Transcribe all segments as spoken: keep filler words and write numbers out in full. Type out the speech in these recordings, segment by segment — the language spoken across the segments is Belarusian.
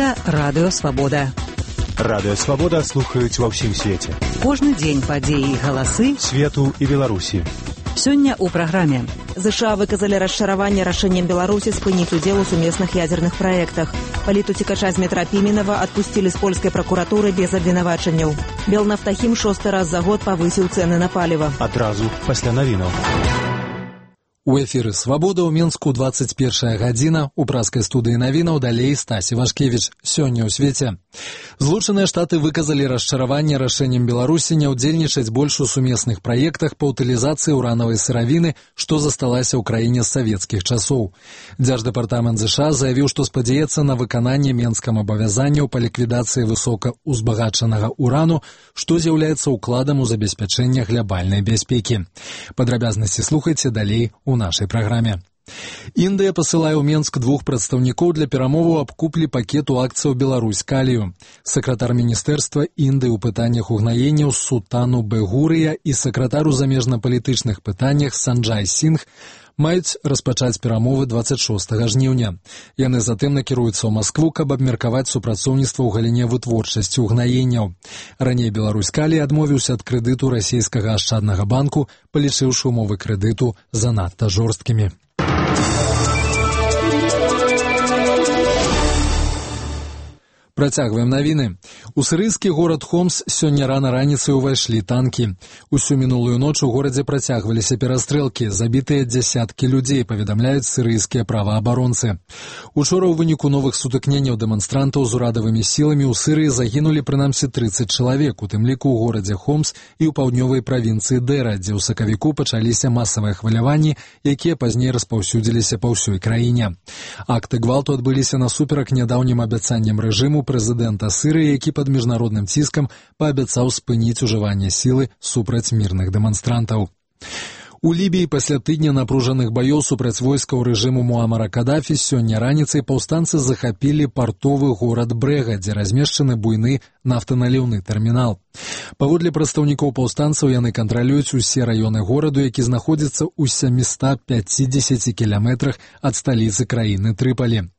Гэта Радыё Свабода. Радыё Свабода слухаюць ва ўсім свеце. Кожны дзень падзеі і галасы свету і Беларусі. Сёння ў праграме. ЗША выказалі расчараванне рашэннем Беларусі спыніць удзел у сумесных ядзерных праектах. Палітуцікача з метра Піменава адпусцілі з польскай пракуратуры без абвінавачанняў. Белнафтахім шосты раз за год павысіў цэны на паліва. Адразу пасля навінаў. У эфіры «Свабода» ў Менску двадцать першая гадзіна. У праскай студыі навінаў далей Стасі Вашкевіч. Сёння ў свеце. Злучаныя Штаты выказалі расчараванне рашэннем Беларусі не ўдзельнічаць больш у сумесных праектах па ўтылізацыі ўранавай сыравіны, што засталася ў краіне з савецкіх часоў. Дзярждэпартамент ЗША заявіў, што спадзяецца на выкананне менскам абавязанняў па ліквідацыі высокаўзбагачанага урану, што з'яўляецца ўкладам у забеспячэнне глябальнай бяспекі. Падрабязнасці слухайце далей у нашай праграме. Індыя пасылае ў Менск двух прадстаўнікоў для перамоваў аб куплі пакету акцыяў «Беларусь калію». Сакратар міністэрства Індыі ў пытаннях угнаенняў Сутану Бегурыя і сакратар у замежнапалітычных пытаннях Санджай Сінг маюць распачаць перамовы двадцать шостага жніўня. Яны затым накіруюцца ў Маскву, каб абмеркаваць супрацоўніцтва ў галіне вытворчасці угнаенняў. Раней «Беларусь калій» адмовіўся ад крэдыту расійскага ашчаднага банку, палічыўшы умовы крэдыту занадта жорсткімі. Працягваем навіны. У сірыйскі горад Хомс сёння рана раніцай увайшлі танкі. Усю мінулую ноч у горадзе працягваліся перастрэлкі, забітыя дзясяткі людзей, паведамляюць сірыйскія праваабаронцы. Учора ў выніку новых сутыкненняў дэманстрантаў з урадавымі сіламі ў Сірыі загінулі прынамсі трыццаць чалавек, у тым ліку ў горадзе Хомс і ў паўднёвай правінцыі Дэра, дзе ў сакавіку пачаліся масавыя хваляванні, якія пазней распаўсюдзіліся па ўсёй краіне. Акты гвалту адбыліся насуперак нядаўнім абяцанням рэжыму прэзідэнта Сірыі, які пад міжнародным ціскам паабяцаў спыніць ужыванне сілы супраць мірных дэманстрантаў. У Лібіі пасля тыдня напружаных баёў супраць войскаў рэжыму Муамара Кадафі сёння раніцай паўстанцы захапілі партовы горад Брэга, дзе размешчаны буйны нафтаналіўны тэрмінал. Паводле прадстаўнікоў паўстанцаў яны кантралююць усе раёны гораду, які знаходзіцца ў сямістах пяцідзесяці кіламетрах ад сталіцы краіны Трыпалі.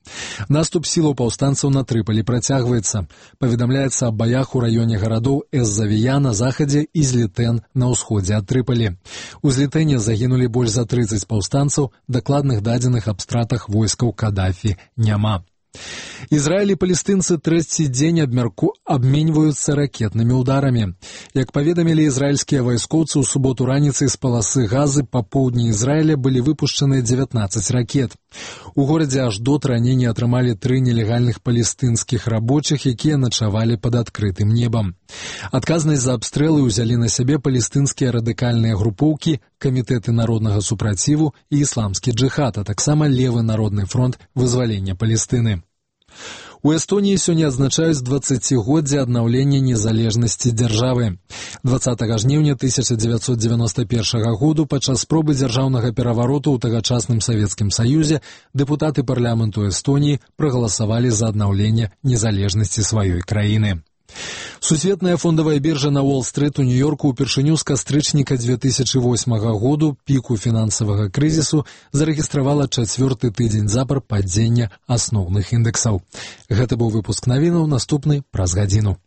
Наступ сілаў паўстанцаў на Трыпалі працягваецца. Паведамляецца аб баях у раёне гарадоў Эз-Завія на захадзе і Злітэн на ўсходзе ад Трыпалі. У Злітэне загінулі больш за трыццаць паўстанцаў, дакладных дадзеных аб стратах войскаў Кадафі няма. Ізраіль і палестынцы трэці дзень абмярку абменьваюцца ракетнымі ўдарамі. Як паведамілі ізраільскія вайскоўцы, у суботу раніцай з паласы Газы па поўдні Ізраіля былі выпушчаны дзевятнаццаць ракет. У горадзе Аждот раней атрымалі тры нелегальных палестынскіх рабочых, якія начавалі пад адкрытым небам. Адказнасць за абстрэлы ўзялі на сябе палестынскія радыкальныя групоўкі, камітэты народнага супраціву і ісламскі джыхад, а таксама левы народны фронт вызвалення Палестыны. У Эстоніі сёння адзначаюць дваццацігоддзе аднаўлення незалежнасці дзяржавы. дваццатага жніўня тысяча дзевяцьсот дзевяноста першага году падчас спробы дзяржаўнага перавароту ў тагачасным Савецкім Саюзе дэпутаты парламенту Эстоніі прагаласавалі за аднаўленне незалежнасці сваёй краіны. Сусветная фондавая біржа на Уолл-стрыт у Нью-Йорку ўпершыню з кастрычніка дзве тысячы восьмага году, піку фінансавага крызісу, зарэгістравала чацвёрты тыдзень запар падзення асноўных індэксаў. Гэта быў выпуск навінаў, наступны праз гадзіну.